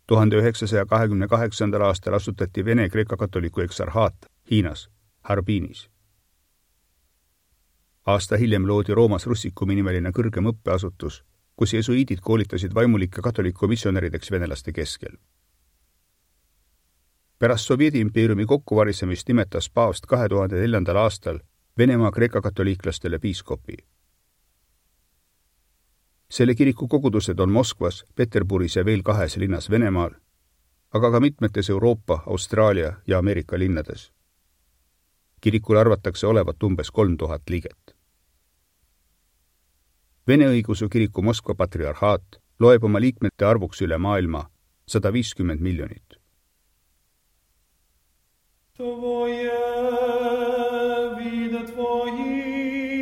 tuhande üheksasaja kahekümne kaheksandal aastal asutati Vene kreeka-katoliku eksarhaat Hiinas, Harbinis. Aasta hiljem loodi Roomas Russikumi nimeline kõrgem õppeasutus, kus jesuiidid koolitasid vaimulikke katoliku missionärideks venelaste keskel. pärast Sovjedi-impeeriumi kokkuvarisemist nimetas paavst kahe tuhande neljandal aastal Venemaa kreeka-katoliiklastele piiskopi. Selle kiriku kogudused on Moskvas, Peterburis ja veel kahes linnas Venemaal, aga ka mitmetes Euroopa, Austraalia ja Ameerika linnades. Kirikul arvatakse olevat umbes kolm tuhat liiget. Vene õigeusu kiriku Moskva patriarhaat loeb oma liikmete arvuks üle maailma sada viiskümmend miljonit. Tvoje vide tvojih,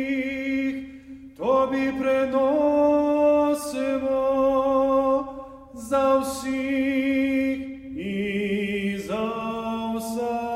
tobi prenosimo za vsih i za vsa.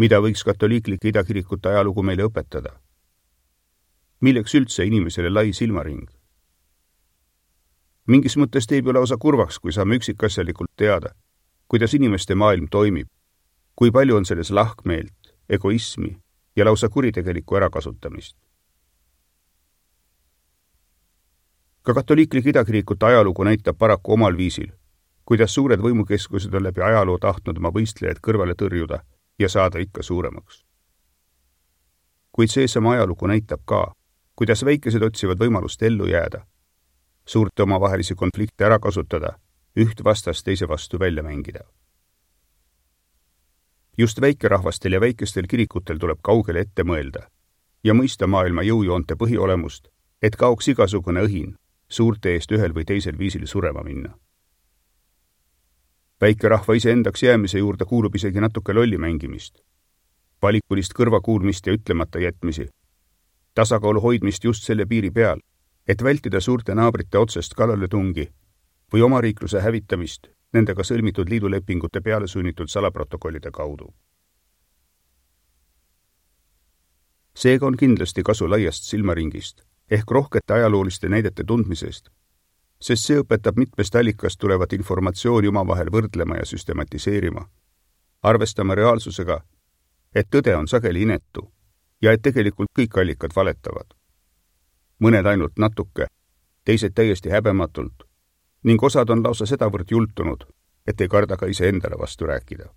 Mida võiks katoliiklike idakirikute ajalugu meile õpetada? Milleks üldse inimesele lai silmaring? Mingis mõttes teeb ju lausa kurvaks, kui saame üksikasjalikult teada, kuidas inimeste maailm toimib, kui palju on selles lahkmeelt, egoismi ja lausa kuritegelikku ärakasutamist. Ka katoliiklike idakirikute ajalugu näitab paraku omal viisil, kuidas suured võimukeskused on läbi ajaloo tahtnud oma võistlejaid kõrvale tõrjuda ja saada ikka suuremaks. Kuid seesama ajalugu näitab ka, kuidas väikesed otsivad võimalust ellu jääda, suurte omavahelisi konflikte ära kasutada, üht vastast teise vastu välja mängida. Just väikerahvastel ja väikestel kirikutel tuleb kaugele ette mõelda ja mõista maailma jõujoonte põhiolemust, et kaoks igasugune õhin suurte eest ühel või teisel viisil surema minna. Väikerahva iseendaks jäämise juurde kuulub isegi natuke lolli mängimist, valikulist kõrvakuulmist ja ütlemata jätmisi, tasakaalu hoidmist just selle piiri peal, et vältida suurte naabrite otsest kallaletungi või omariikluse hävitamist nendega sõlmitud liidulepingute peale sunnitud salaprotokollide kaudu. Seega on kindlasti kasu laiast silmaringist ehk rohkete ajalooliste näidete tundmisest, sest see õpetab mitmest allikast tulevat informatsiooni omavahel võrdlema ja süstematiseerima, arvestama reaalsusega, et tõde on sageli inetu ja et tegelikult kõik allikad valetavad. Mõned ainult natuke, teised täiesti häbematult ning osad on lausa sedavõrd jultunud, et ei karda ka iseendale vastu rääkida.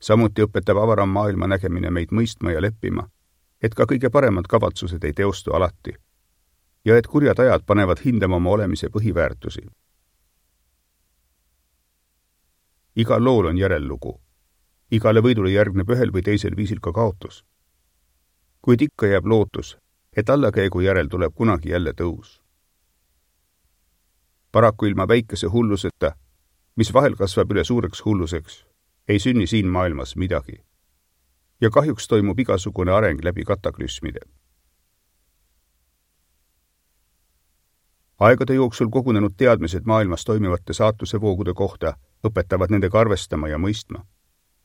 Samuti õpetab avaram maailma nägemine meid mõistma ja leppima, et ka kõige paremad kavatsused ei teostu alati ja et kurjad ajad panevad hindama oma olemise põhiväärtusi. Igal lool on järellugu. Igale võidule järgneb ühel või teisel viisil ka kaotus. Kuid ikka jääb lootus, et allakäigu järel tuleb kunagi jälle tõus. Paraku ilma väikese hulluseta, mis vahel kasvab üle suureks hulluseks, ei sünni siin maailmas midagi. Ja kahjuks toimub igasugune areng läbi kataklüsmide. Aegade jooksul kogunenud teadmised maailmas toimivate saatuse voogude kohta õpetavad nendega arvestama ja mõistma.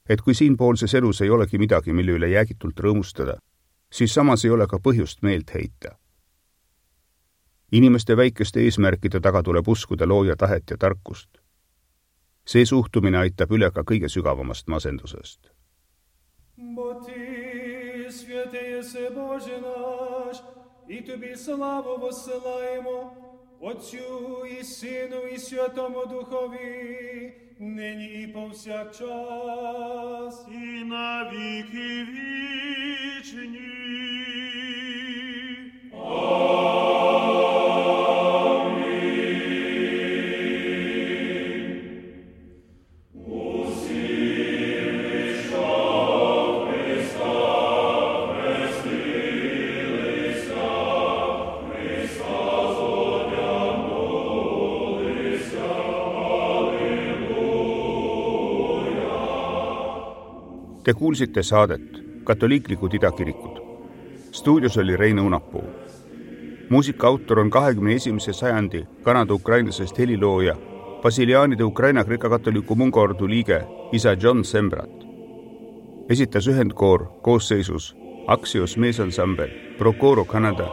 et kui siinpoolses elus ei olegi midagi, mille üle jäägitult rõõmustada, siis samas ei ole ka põhjust meelt heita. Inimeste väikeste eesmärkide taga tuleb uskuda looja tahet ja tarkust. See suhtumine aitab üle ka kõige sügavamast masendusest. Бо Ти, святеє се Боже наш, і Тобі славу воссилаємо, Отцю і Сину і Святому Духові, нині і повсякчас, і на віки вічні. Te kuulsite saadet Katoliiklikud idakirikud. Stuudios oli Rein Õunapuu. Muusika autor on kahekümne esimese sajandi kanada-ukrainlasest helilooja, Basiliaanide Ukraina Kreeka-katoliku mungaordu liige isa John Sembrat. Esitas ühendkoor koosseisus Axios meesansambel, Procoro Kanada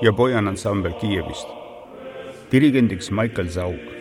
ja Bojan ansambel Kiievist. Dirigendiks Michael Zaug.